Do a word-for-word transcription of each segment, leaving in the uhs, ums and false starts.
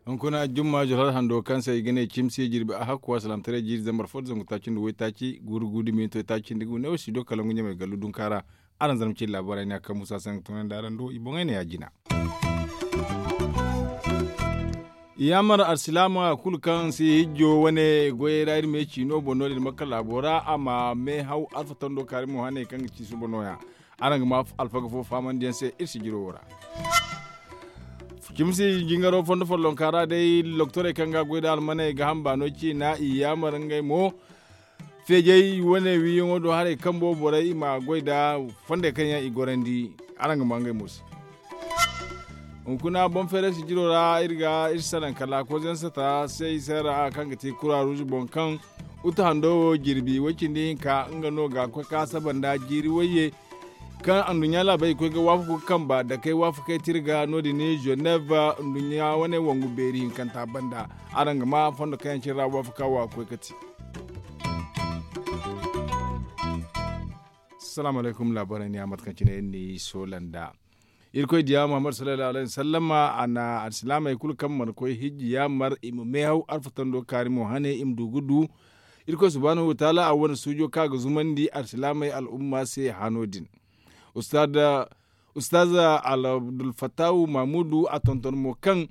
Hunkuna jumma joro hando kaŋ se i ga ne cimsi jirbi a hakku a salaamtaray jiiri zambar fo da zangu taaci nda waytaaci guuru guuru da minto taaci nda ga wane wo si do kala ngu ɲamay gallu dunka ra. Araŋ zarma cindi laabaarey ne a kaŋ muusa se nga tunandi araŋ do i boŋey ne ya jina. Yaamar alsilaama kulu kaŋ si hijjo wane goyey ra iri ma ye ciino boŋ no- din makka laabo ra a ma meehaw alfatando kaari mo hane kaŋ ga ci suba nooya. Araŋ ga ma alfaga fo faamandiyaŋ se iri sijiro wo ra. Cimsi jingaro fondo follonka ra day loktorey kaŋ ga goy nda almaney ga hamba no ciina i yaamar ngey mo feejey wane wiiyaŋo do haray kambo borey i ma goy nda fondey kaŋ yaŋ i gorandi. Araŋ ga ma ngey mo se. Hunkuna boŋ feeray sijiro ra iri ga iri salaŋ kala kozayaŋ sata se i se ra kaŋ ga ti kura ruuzu boŋ kaŋ utu hando wo jirbi way cindi hinka nga no ga koy ka saba nda jiiri wayye kaŋ anduɲɲa laabey i koy ga waafaku ga kamba dakey waafakey tira ga no- din ženev anduɲɲa wane wangu beeri hinkanta banda. Araŋ ga ma fondo kaŋ yaŋ cine ra waafaka wo a ga koy ga ti. Salaamu alaykum laabaarey ne a mate kaŋ cine iri n'i soola nda irkoy diya muhammad sallallahu alayhi wasallama a na alsilaamey kulu kaŋ mana koy hijji yaamar i ma meehaw alfatando kaari mo hane i ma du ga du. Irkoy subhaanahu wataala a wane suujo kaŋ a ga zumandi alsilaamey al'umma se hano din. Ustaz abdulfattahu mahmudu a tonton mo kaŋ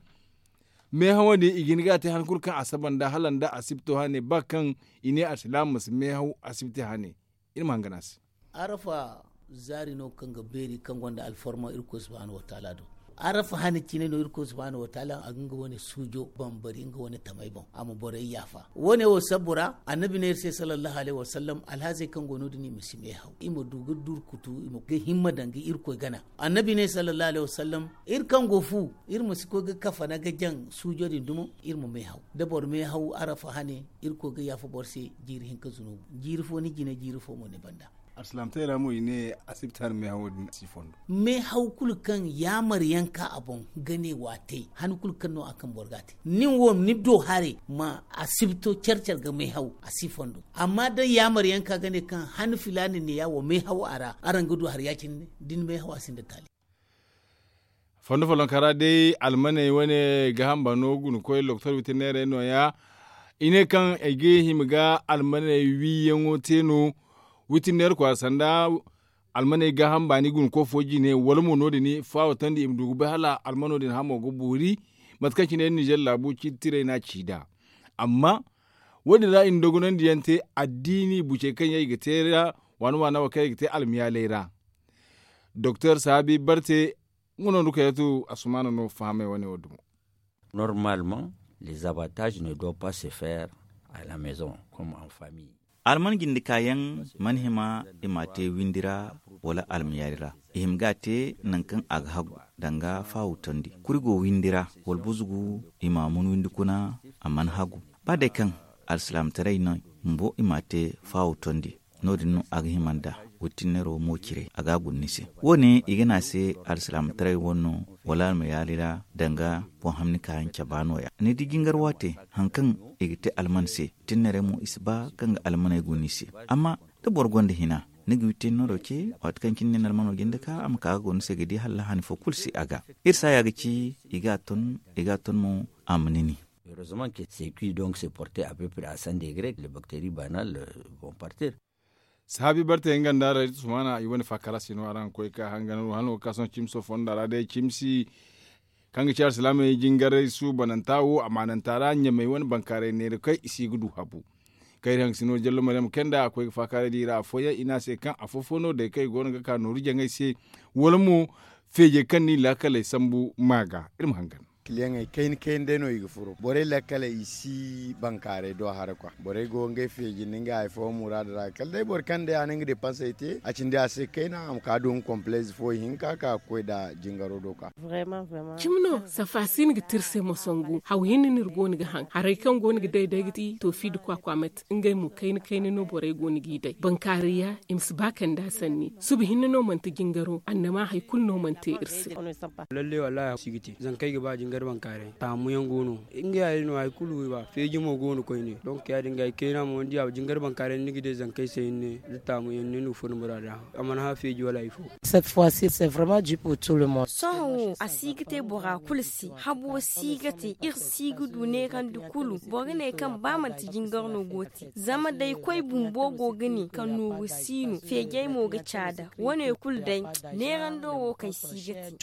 meehawo din i ga hin ga a te han kulu kaŋ a saba nda hala nda asibto hane ba kaŋ i ne alsilaama ma si meehaw asibti hane. Iri ma hangan a se. Arafa zaari no kaŋ ga beeri kaŋ gonda alfarma irkoy subhaanahu wataala do. Arafa hane cine no irkoy subhaanahu wataala a ga nga wane suujo bambari nga wane tamey boŋ a ma borey yaafa. Wane wo sabbu ra annabi ne iri se sallallahu alayhi wasallam alhazey kaŋ go no- din i ma si meehaw i ma du ga durkutu i ma ga himma daŋ ga irkoy gana. Annabi ne sallallahu alayhi wasallam iri kaŋ go fu iri ma si koy ga kafana ga jaŋ suujo din dumo. Iri ma meehaw da boro meehaw arafa hane irkoy ga yaafa boro se jiiri hinka zunubu jiiri fo ni jine jiiri fo mo ni banda. Alsilaamtaray ra mo i ne asibti hane meehawo din si fondo. Meehaw kulu kaŋ yaamar yaŋ ka a boŋ ga ne wa a te han kulu kaŋ no a kaŋ boro ga a te nin wo ni do haray ma asibto care care ga meehaw a si fondo. Amma da yaamar yaŋ ka ga ne kaŋ han filaani ne ya wo meehaw a ra araŋ ga du hari ya- cine da ni meehaw a sinda taali. Fondo follonka ra day almaney wane ga hamba no guna koy loktor witinneerey nooya. I ne kaŋ ay ga hima ga almaney wiiyaŋo te no witinneer kwaara sanda almaney ga hamba ni guna koy fo jine wala mo no- din faawatandi i ma du ga bay hala almano din hamo ga boori. Mate kaŋ cine nizer laabu ciitirey no a ci nd'a. Amma wo- din ra i na dogonandi yaŋ te addiini bucey kaŋ yaŋ i ga te ra waana waana wo kaŋ yaŋ i ga te almiyaaley ra. Doktor saabi barte nga no nda koy yatu asumaana no fahamay wane wo dumo. Normalement les abattages ne doit pas se faire à la maison comme en famille. Alman jindikaayaŋ mana hima i m'a te windi ra wala almayaari ra. I hima ga a te nangu kaŋ a ga hagu danga faawu tondi kuri go windi ra wala buzugu i m'a mun windi kuna a mana hagu. Ba day kaŋ alsilaamataray no bumbo i m'a te faawu tondi. No- din no a ga hima nda wittinneero mo cire a ga a guna ni se. Wo- ne i ga ne a se alsilaamataray wane no wala almayaari ra danga boŋ hamni kaayaŋ caba nooya ni di jingar waate. Hari kaŋ i ga te alman se wittinneerey mo i si ba kaŋ ga almaney guna i se. Amma da boro gonda hina ni ga wittinneero ce waati kaŋ cine ni na almano jinde ka a ma ka ga guna ni se ga di hala hani fo kulu si a ga. Iri saaya ga ci i ga a ton i ga a ton mo a ma ni ni. Heureusement que c'est qui donc se porter à peu près à cent degrés les bactéries banales vont partir. Sahaabi barte nga nda ra iri tusumana i wane faakara se no araŋ ga koy ga ka hangan wo hano ga ka sohõ cimso fonda ra day cimsi kaŋ ga ci alsilaamey jingaray suubananta wo amaananta ra ɲamey wane bankaaray neera kay i si ga du habu. Kaŋ iri haŋ ga si no jallo maryam kenda a koy ga faakaaray di i ra afooyaŋ i ne a se kaŋ afo-fo no day kaŋ i go no ga ka nooru jaŋay se wala mo feejey kaŋ n'i laakaley sambu ma ga iri ma hangan. Kiliyaŋey kayna kayna day no i ga furo borey lakkaley i si bankaaray do haray kwa borey go ngey feeji nda ngey hari fooyaŋ muraada ra kala day boro kaŋ day a na nga depansey te a cindi a se kayna a ma ka du nga komplez fo ihinka ka ga koy nd'a jingaro do ka. Cimi no safa si ni ga te iri se moso ngu haw hinne no iri go no ga haŋ haray kaŋ go no ga day day ga ti toofi nda kwaakwaamat ngey mo kayna kayna no borey go no g'i day bankaaray ya i ma si ba kand'a sanni suba hinne no manti jingaro annama hari kulu no mana te iri se. Lalle wallaahi si ga te zankey ga ba jingar. Taamu yaŋ go no, ngey hari no hari kulu feeji mo go no koyne. Donk ya- din ga ay kayna mo ni di a jingar bankaaray ni ga day zankey se hinne da taamu yaŋ no ni ga furo ni bora da a mana hã feeji wala hari fo. Sohõ wo a si ga te bora kulu se. Habo si ga te iri si ga du neerandi kulu. Boro ga ne kaŋ ba manti jingar no go te zama day koy bumbo go ga ne kaŋ nooru si no feejey mo ga caada. Wane kulu day neerando wo kaŋ si ga te.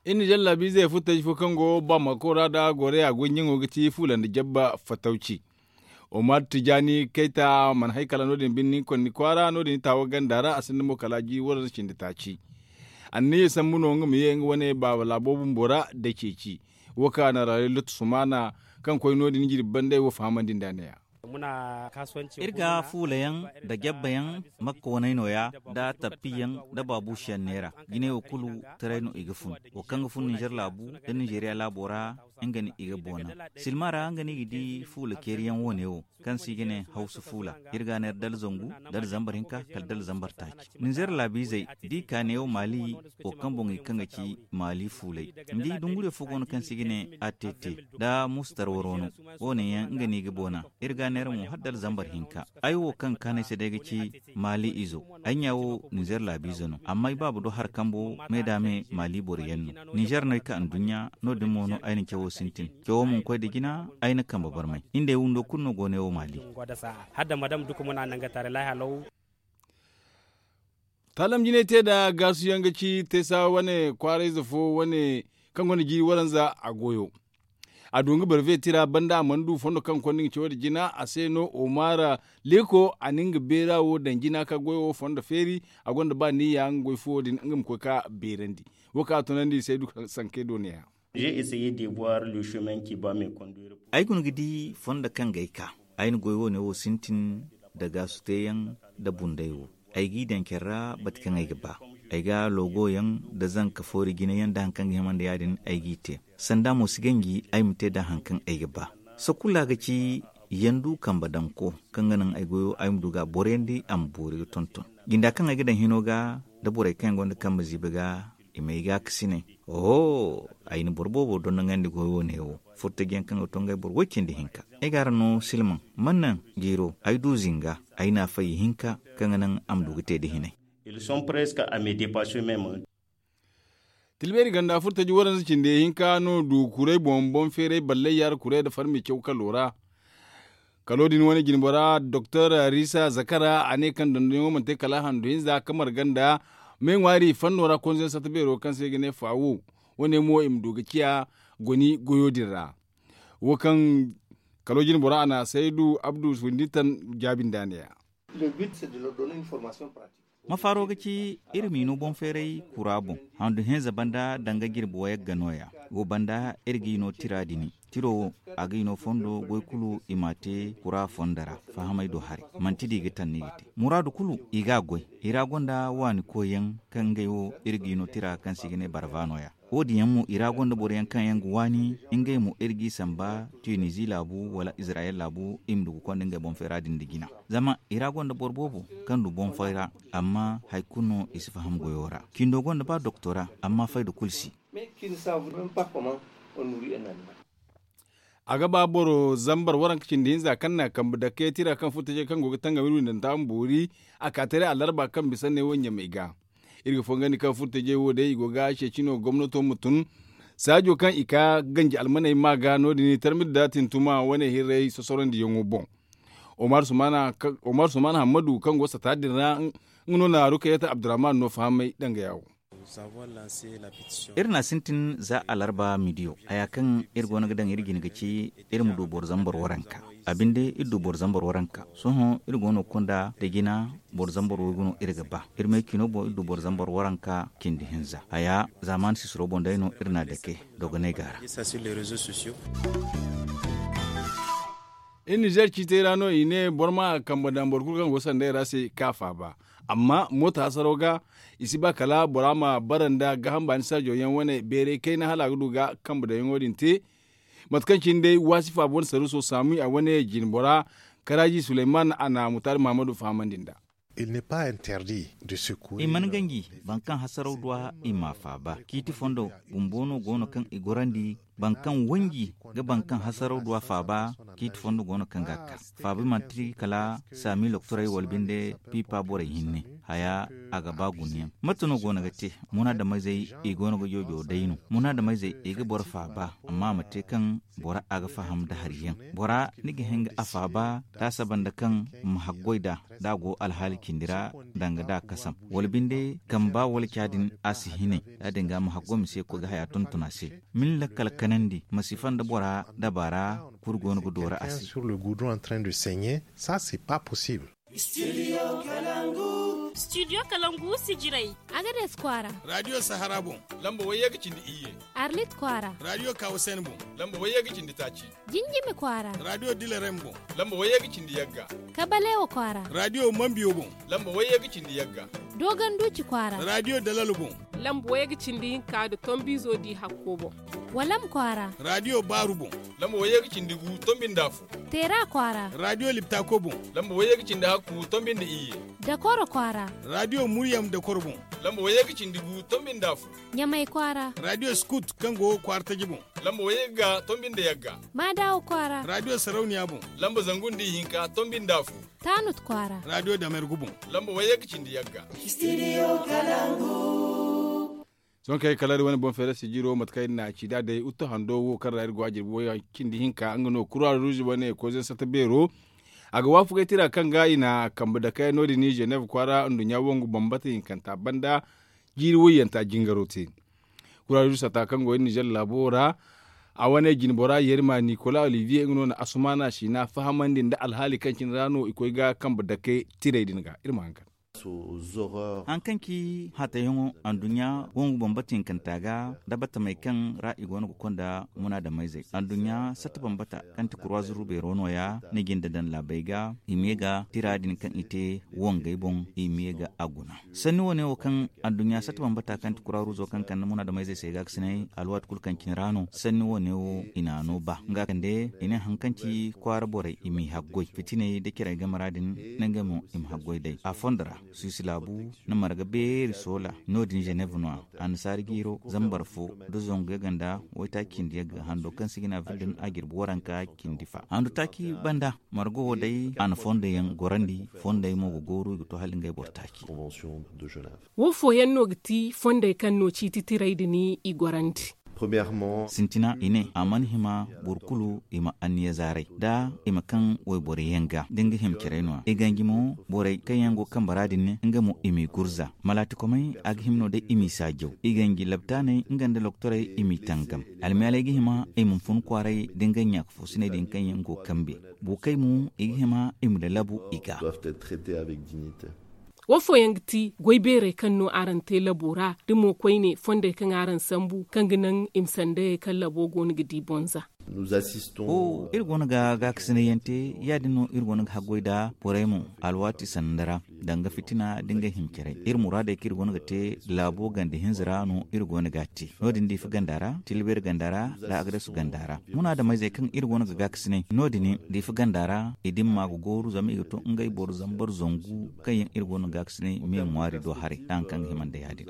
Iri na jallabiizey furtaji fo kaŋ go bamako ra nda goreya goy ɲaŋo ga ti fuula nda jabba fatawci. Omar tijaani kayta mana hay kala no- din birni konni kwaara no- din taawa ganda ra a sinda mo kala jiiri waranza cindi taaci. Anniya sambu no nga ma ye nga wane baaba laabo bumbo ra nda ceeci. Wo kaŋ a na raayo lottu sumaana kaŋ koy no- din jirbi banda ay wo fahamandi nda a ne- ya. Iri ga fuula yaŋ nda jabba yaŋ makka waney no- ya nda tappi yaŋ nda baabuusi yaŋ neera. Jinay wo kulu taray no i ga fun. Wo kaŋ ga fun ninzeer laabu nda ninzeeriya laabo ra nga no i ga boona. Silma ra nga no i ga di fuula ceeri yaŋ wo- ne wo kaŋ se i ga ne hawsa fuula. Iri ga a neera dala zangu, dala zambar hinka kala dala zambar taaci. Ninzeer laabiizey da i ka neewo maali wo kaŋ boŋ i kaŋ ga ci maali fuulay. Ni di dunguriyo fo go no kaŋ se i ga ne a te te nda musu tarwaro no. Wo- ne yaŋ nga no i ga boona. Iri ga a neera mo hala dala zambar hinka. Ay wo kaŋ ga kaanu ay se day ga ci maali izo. Ay ɲa wo ninzeer laabiize no amma ay baaba do hari kambo me da me maali boro yaŋ no. Ninzeer no ay ka anduɲɲa no- din mo no ay na cawo sintin. Cawo mana koy nda jina ay na kambe barmay. Iri nd'ay windo kulu no go ne wo maali. Taalam jinay te nda gaasu yaŋ ga ci teesa wane kwaarayze fo wane kaŋ gonda jiiri waranza a goyo. A du nga barve tira banda a mana du fondo kaŋ konda nga cawo nda jina a se no omara leeko a na nga beera wo daŋ jina ka goyo wo fondo feeri. A gonda ba niyya nga goy fo din nga ma koy ka beerandi. Wo kaŋ a tunandi i se du sankey do ne- ya. Ay guna ga di fondo kaŋ ga ay ka. Ay na goy wo- ne wo sintin nda gaasu teeyaŋ nda bunday wo. Ay g'i daŋ care ra bate kaŋ ay ga ba. Ay ga loogo yaŋ nda zanka foori jina yaŋ nda hari kaŋ ga hima nda ya- din ay g'i te. Sanda mo si ganji ay ma te nda hari kaŋ ay ga ba. Sakulla ga ci yandu kambe daŋko kaŋ ga naŋ ay goyo ay ma du ga a borayandi a ma boori ga tonton. Jinda kaŋ ay ga daŋ hino ga nda borey kaŋ yaŋ gonda kambe ziibi ga i m'ay gaakasinay. Oho, ay na boro boobo dondonandi goy wo- ne wo. Furtaji yaŋ kaŋ ga to ngey boro way cindi hinka. Ay ga araŋ no silmaŋ man naŋ jiiro ay du zinga ay na a fay ihinka kaŋ ga naŋ a ma du ga te nda hinay. Tilbeeri ganda furtaji waranza cindi hinka no du kuray boŋ boŋ feeray ballay yaara kuray nda farmi caw kalo ra. Kalo din wane jinbora doktor risa zakara a ne kaŋ dondonyaŋo mana te kala handu hinza kamar ganda. Me ŋwaari fanno ra konzoyaŋ satta beero kaŋ se i ga ne faawo. Wane mo i ma du ga ciya goni goyo din ra. Wo kaŋ kalo jinbora a na saydu abdu windi tan jaabi nda a ne ya. Ma faaro ga ci iri m'i no boŋ feeray kura boŋ handu hinza banda danga jirbi wayaŋ ga no- ya. Wo banda iri g'i no tira dini. Tiro wo a g'i no fondo goy kulu i m'a te kura fondo ra. Fahamay do haray manti da i ga tanni ga te muraadu kulu i g'a goy. I ra gonda waani koyyaŋ kaŋ ngey wo iri g'i no tira kaŋ se i ga ne barva no- ya. Wo- din yaŋ mo i ra gonda boro yaŋ kaŋ yaŋ ga waani ngey mo iri g'i samba tunizi laabu wala izirayel laabu i ma du ga konda ngey boŋ feera din nda jina. Zama i ra gonda boro boobo kaŋ du boŋ feera amma hari kulu no i si faham goyo ra. Cindo gonda ba doktora amma fayda kulu si. A ga ba boro zambar waranka cindi hinza kaŋ na kambe dakke tira kaŋ furtajey kaŋ go ga tangam iri windanta ma boori. A ka taray alarba kaŋ bisa ne wo ɲamey ga. Iri ga fongandi kaŋ furtajey wo day i go ga ceeci no gomnato ma tun saajo kaŋ i ka ganji almaney ma ga no- din i tarmir da tintuma wane hirray sosorondi yaŋo boŋ. Omar sumana hammadu kaŋ go sata din ra nga no na rukayata abdurrahman no fahamay danga yawo. Iri na sintin za alarba midiyo haya kaŋ iri go no ga daŋ iri jine ga ci iri ma du boro zambar waranka. A binde iri du boro zambar waranka sohõ iri go no ga konda da jina. Boro zambar waygu no iri ga ba iri may cino boŋ iri du boro zambar waranka cindi hinza haya zaamaani sisiro boŋ day no iri na dake dogonay ga ra. Iri nizer ciitey ra no i ne boro ma kambe daŋ boro kulu kaŋ go sanday ra se ka faaba. Amma mooto hasaro ga i si ba kala bora ma bara nda gaaham baani saajo yaŋ wane beeray kayna hala a ga du ga kambe daŋ yaŋo din te. Mate kaŋ cine day waasi faaba wane saruuso saamu a wane jinbora karaaji suleyman a na mutaari mahamadu fahamandi nd'a. I mana ganji boro kaŋ hasaraw du a i m'a faaba. Ciiti fondo bumbo no go no kaŋ i gorandi boro kaŋ wanji ga boro kaŋ hasaraw du a faaba. Ciiti fondo go no kaŋ ga a ka faaba manti kala saami loktorey wala binde piipa borey hinne. Haya a ga ba guna yaŋ mate no go no ga te? Munaadameyzey i go no ga joojo day no. Munaadameyzey i ga boro faaba amma a ma te kaŋ bora a ga faham nda hari yaŋ. Bora ni ga hin ga a faaba da a saba nda kaŋ ma haggoy nd'a da a go alhaali cindi ra danga da a kasam wala binde kamba wala ca din a si hinay. Ya- din ga ma haggoy ma si ye ga koy ga haya tonton a se. Min lakkal kanandi ma si fanda bora dabaara kulu go no ga doora a se. Sur le goudron en train de saigner. Ça c'est pas possible. Studio kalangu sijirey. Agades kwaara. Radio sahara boŋ. Lamba wayye ga cindi iyye. Arlit kwaara. Radio kawasen boŋ. Lamba wayye ga cindi taaci. Jinjimi kwaara. Radio dilarem boŋ. Lamba wayye ga cindi yagga. Kabalewa kwaara. Radio mambiyo boŋ. Lamba wayye ga cindi yagga. Dogon duci kwaara. Radio dalal boŋ. Lamba wayye ga cindi hinka nda tombizo di hakko boŋ. Walam kwaara. Radio baaru boŋ. Lamba wayye ga cindi gu tombi nda afo. Teera kwaara. Radio liptako boŋ. Lamba wayye ga cindi hakku tombi nda iyye. Dakoro kwaara. Radio muryam dakoro boŋ. Lamba wayye ga cindi gu tombi nda afo. Ɲamay kwaara. Radio skut kaŋ go kwaara taji boŋ. Lamba wayye ga tombi nda yagga. Maadawa kwaara. Radio sarauniya boŋ. Lamba zangu nda ihinka tombi nda afo. Taanut kwaara. Radio damergu boŋ. Lamba wayye ga cindi yagga. Studio kalangu. Sohõ kaŋ ay kala iri wane boŋ feera sijiro mate kaŋ iri na a ci da day uttu hando wo kaŋ ra iri go a jirbi wayya cindi hinka nga no kura ruuzi wane koyzey sata beero. A ga waafakay tira kaŋ ga i na kambe dakey no- din ženev kwaara nduɲɲa wongu bambata hinkanta banda jiiri wayyanta jingaro te. Kura ruuzi sata kaŋ go iri nizer laabo ra a wane jinbora yerma nikola olivier nga no na asumaana siina fahamandi nda alhaali kaŋ cine ra no i koy ga kambe dakey tirey din ga iri ma haŋ kaŋ. Haŋ kaŋ ci hatayaŋo anduɲɲa wongu bambata hinkanta ga da batamey kaŋ ra i go no ga konda munaadamayzey anduɲɲa satta bambata kaŋ ti kurwa zuru beero nooya ni ga ni da daŋ laabey ga i ma ye ga tira din kaŋ i te wongey boŋ i ma ye ga a guna. Sanni wo- ne wo kaŋ anduɲɲa satta bambata kaŋ ti kurwa ruuzo kaŋ kande munaadamayzey se ga ga sinay alwaati kulu kaŋ cine ra no sanni wo- ne wo i na a no ba nga kande i ne haŋ kaŋ ci kwaara borey i m'i haggoy fitiney da cirey game ra din. Nga mo i ma haggoy day a fondo ra. Suisi laabu na marga beeri soola no- din ženev no- ya annasaari jiiro zambar fo da zangu yaganda waytaaci cindi yagga hando kaŋ si ga ne a vil din a jirbi waranka cindi fa handu taaci banda. Marga wo day a na fondey yaŋ gorandi fondey mo ga gooru i ga to hala ngey boro taaci. Wo fooyaŋ no ga ti fondey kaŋ no ciiti tirey din i gorandi. Sintina i ne a mana hima boro kulu i ma anniya zaaray da i ma kaŋ wayboro yaŋ ga da nga hima caray no- ya i ganji mo borey kaŋ yaŋ go kambe ra din nga mo i m'i gurza malaatikomey a ga hima no day i m'i saajaw i ganji labtaaney nga nda loktorey i m'i tangam. Almiyaaley ga hima i ma fun kwaaray da nga ɲaaka foosiney din kaŋ yaŋ go kambe. Buukey mo i ga hima i ma lalabu i ga. Wo fooyaŋ ga ti goy beerey kaŋ no araŋ te labo ra da mo koyne fondey kaŋ araŋ sambu kaŋ ga naŋ i ma sandayey kaŋ labo go no ga di bonza. Iri go no ga gaakasinay yaŋ te ya- din no iri go no ga haggoy nd'a borey mo alwaati sanda ra. Danga fitina da nga hima caray iri muraadey kaŋ iri go no ga te laabo ganda hinza ra no iri go no ga a te. No- din diifa ganda ra tilbeeri ganda ra nda agadasu ganda ra munaadamayzey kaŋ iri go no ga gaakasinay no- din diifa ganda ra i dimma ga gooru zama i ga to ngey boro zambar zangu kaŋ yaŋ iri go no ga gaakasinay me ŋwaari do haray nda hari kaŋ ga hima nda ya- din.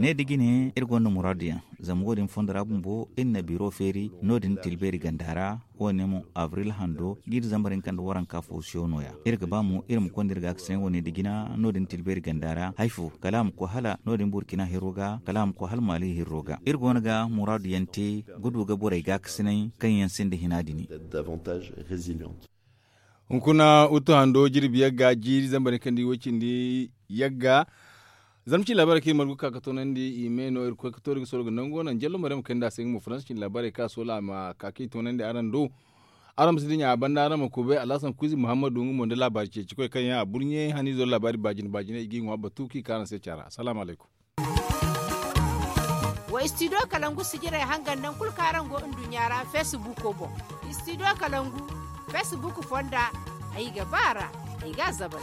Ne da jine iri gonda muraadu yaŋ zama wo- din fondo ra bumbo iri na biro feeri no- din tilbeeri ganda ra. Wo- ne mo abril hando ga iri zambar hinka nda waranka fo siyo no- ya iri ga ba mo iri ma konda iri ga ga se wo- ne da jina no- din tilbeeri ganda ra hari fo kala a ma koy hala no- din burkina hiro ga kala a ma koy hala maali hiro ga iri go no ga muraadu yaŋ te ga du ga borey gaakasinay kaŋ yaŋ sinda hina din. Hunkuna uttu hando jirbi yagga jiiri zambar kaŋ di way cindi yagga. Zama ci laabaarey kaŋ iri margu ga ka ga toonandi i me no iri koy ga toori ga soro ga nango naŋ jallo maryaŋ ma kayndi a se nga mo faransa cindi laabaarey kaŋ a soola a ma ka kaŋ i toonandi araŋ do. Araŋ ma si dinya a banda araŋ ma kubay alhasan kuuzi muhammadu nga mo nda laabaari ceeci koy kaŋ yaŋ a burɲe haniizo laabaari baajina baajina i g'i ŋwa batu kaŋ i ka araŋ se caara asalaamu alaykum. Wa istidiyo kalangu sijirey hangan naŋ kulu kaŋ araŋ go nduɲɲa ra feesibuuko boŋ. Istidiyo kalangu feesibuuku fonda ay ga ba a ra ay ga a zabay.